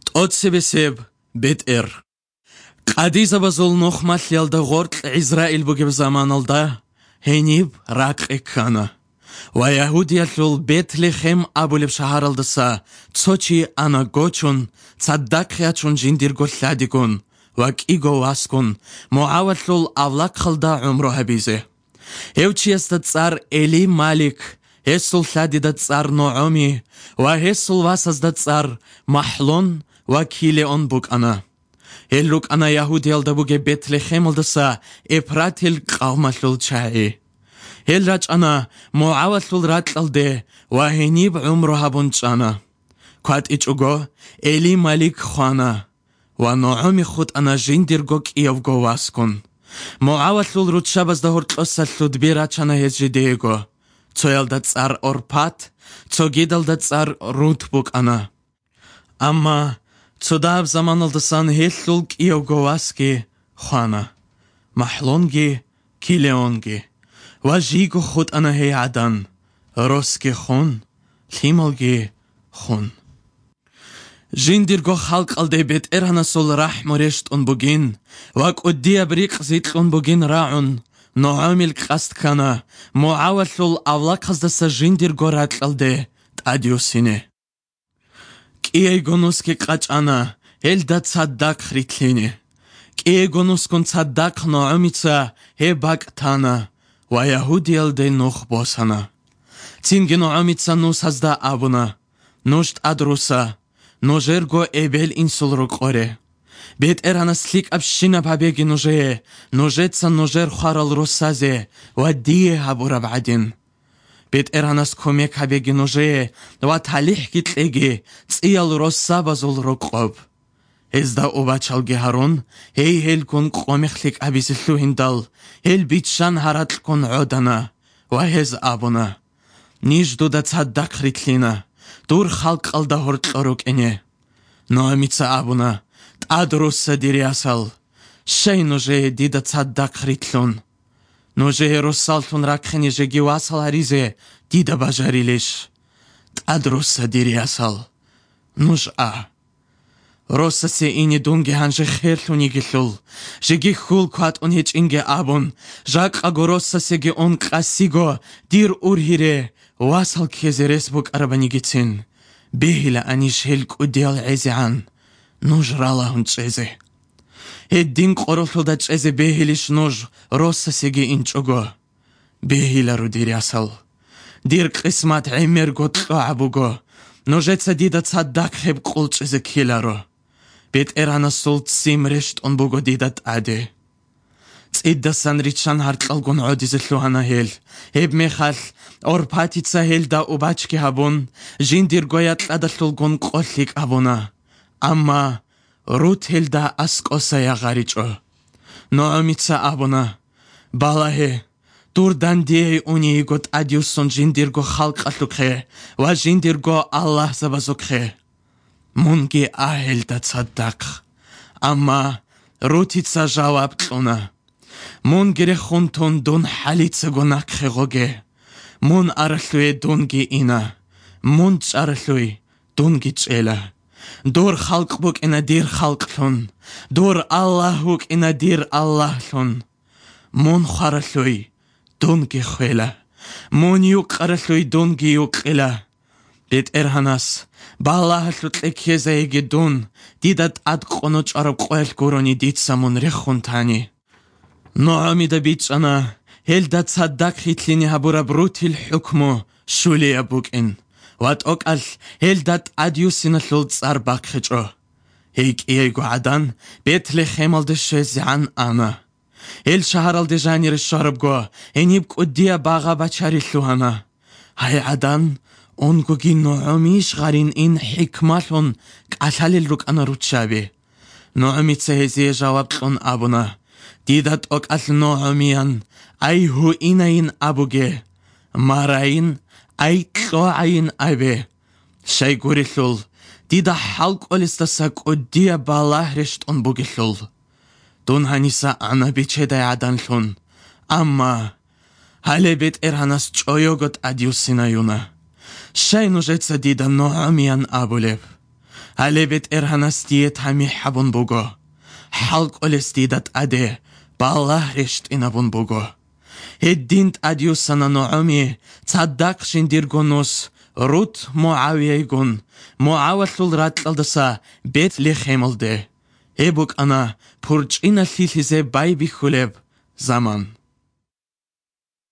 ტოცებესებ ბეტერ ყადიზაბაზულ ნოხმალიალდა ღორტ ისრაილ ბუგებ ზამანალდა ჰენიბ რაკექანა ვაიაჰუდიალულ ბეთლეხემ აბულებ შაჰარალდასა ცოჩი ანა გოჩუნ ცადდაკხიაჩუნ ჯინდირგოლლადიკუნ ვაკიგო ვასკუნ მოავალულ ავლაკხალდა უმრო ჰაბიზე ევჩიასდა წარ ელი მალიქ ჰესულ ლადიდა წარ ნოომი ვა ჰესულ ვასაზდა წარ მაჰლონ ვაკილეონ ბუკანა ელუკანა იაჰუდიალდა ბუგე ბეთლეხემალდასა ეფრათილ ყავმალულ ჩაი ელრაჭანა მოავალულ რატლდე ვა ჰენიბ უმრო ჰაბუნჭანა ქვატიჭუგო ელი მალიქ ხვანა ვა ნოომი ხუტანა ჟინდირგო კიევგო ვასკუნ მოავალულ რუჩაბაზდა ჰორტლოსალუდ ბირაჭანა ჰეზჯიდეეგო ცოელდა წარ ორფათ ცოგიდალდა წარ რութ ბუკანა ამა ცოდაბ ზამანალდასან ჰესულ კიევგო ვასკი ხვანა მაჰლონგი კილეონგი ვაჟიგო ხუტანა ჰე ადან როსკი ხუნ ლიმალგი ხუნ ჟინდირგო ხალყალდე ბეტერანასულ რაჰმორეშტუნ ბუგინ ვაკუდია ბრიყზიტლუნ ბუგინ რაუნ ნოამილ ყასტქანა მოავალულ ავლაკაზდასა ჟინდირგო რატლდე ტადიუსინე კიეგონუსკი ყაჭანა ელდა ცადდაკ ხრითლინე კიეგონუსკუნ ცადდაკ ნოამიცა ჰებაკთანა ვაიაჰუდიალდე ნოხბოსანა ცინგინო ამიცა ნუსაზდა აბუნა ნუშტ ადრუსა ნოჟერგო ებელ ინსულრო ყორე ბეტერანას ლიკაბშინა ბაბეგი ნოჟეცა ნოჟერ ხარალ როსაზე ვადიე აბურა ბადინ ბეტერანას კომეკ აბეგი ნოჟე ვა თალიხ კიტლეგი წიალ როსაბაზულ როყობ ეზდა ობაჩალგი ჰარონ ჰეი ჰელკუნ ყომეხლიკ აბისილუ ჰინდალ ჰელ ბიჩან ჰარატლკუნ ოდანა ვა ჰეზ აბუნა ნიჟდუდა ცადდაკ ხრითლინა დურ ხალყალდა ჰორტლოროკენე ნოამიცა აბუნა ტადროსა დირიასალ შეი ნოჟე დიდა ცადდაკ ხრითლუნ ნოჟე როსალთუნ რაკხენი ჟეგი ვასალ არიზე დიდა ბაჟარილეშ ტადროსა დირიასალ ნუჟა როსასე ინი დუნგე ჰანჟე ხერლუნი გილულ ჟეგი ხულ ქვატუნ ჰეჭინგე აბუნ ჟაკყაგო როსასეგი ონ ყასიგო დირ ურჰირე واسل كيزيرس بوك أرباني جتين بيهلا أنيش هلك وديال عزيعان نوجرالا هنچيزي هدين قرفل دا چيزي بيهلش نوج روسا سيجي انچوغو بيهلا رو دير ياسل دير قسمات عمير قطلو عبوغو نوجيتسا ديدا تصدق خيب قول چيزي كيلا رو بيت إرانا سولت سيم رشت انبوغو ديدا تعدي إدا سانريتشان هارتلالغون عوديزلو هانا هيل هيب ميخال أورباتيتسا هيل دا أوباچكي هابون جينديرغويات لادلالغون قوليك أبونا أما روت هيل دا أسكوسا يغاريچو نواميتسا أبونا بالاهي دردان ديه اوني يغوت أديوسون جينديرغو خالق أتلوكي و جينديرغو الله زبازوكي مونغي أهيل دا تصدق أما روتيتسا جواب تلونا مون گره خونتون دون حالیتسا گناک خیغوگه مون ارلوی دونگی اینا مون چارلوی دونگی چیلا دور خلق بوک اینا دیر خلق لون دور الله بوک اینا دیر الله لون مون خارلوی دونگی خویلا مون یوک ارلوی دونگی یوک ایلا بیت ارهاناس بالله لطلک یزایگی دون دیدت اد قنوچ عرب قویل گورونی دید سامون ریخون تانی نوعامي دا بيتشانا هل دا تصدق خيتليني هبورا بروتي الحكمو شولي أبوك إن وات أوكال هل دا تأديوسينا لول تصار باك خجو هيك إيجو عدان بيت لخيمال دا شوزيعان أنا هل شهرال دا جانير الشارب جو هنيبك قديا باغا بچاري اللوهانا هاي عدان اونگو جي نوعاميش غارين إن حكمالون كالالي الروك أنا روتشابي نوعامي تسهزي جواب لون أبونا ديدت أوكال نوعاميان أي هو إناين أبوغي ماراين أي تلوعين أبي شاي غوري لول ديدا حلق أولستاساك وديا بالله رشت أنبوغي لول دون هانيسا أنا بيچه دا يعدان لون أما هالي بيت إرهاناس چويوغت أديوسينا يونا شاي نوجيتسا ديدا نوعاميان أبوليب ალებეთ ერჰანასდიე თამი ჰაბუნ ბუგო ჰალყოლესდიდათ ადე ბალაჰრეშტინაბუნ ბუგო ჰედდინთ ადიუსანა ნოამი ცადდაკშინ დირგონოს რუთ მოავიეგუნ მოავასულ რატყალდასა ბეთლეხემალდე ებუკანა ფურჭინა ლილიზე ბაიბიხულებ ზამან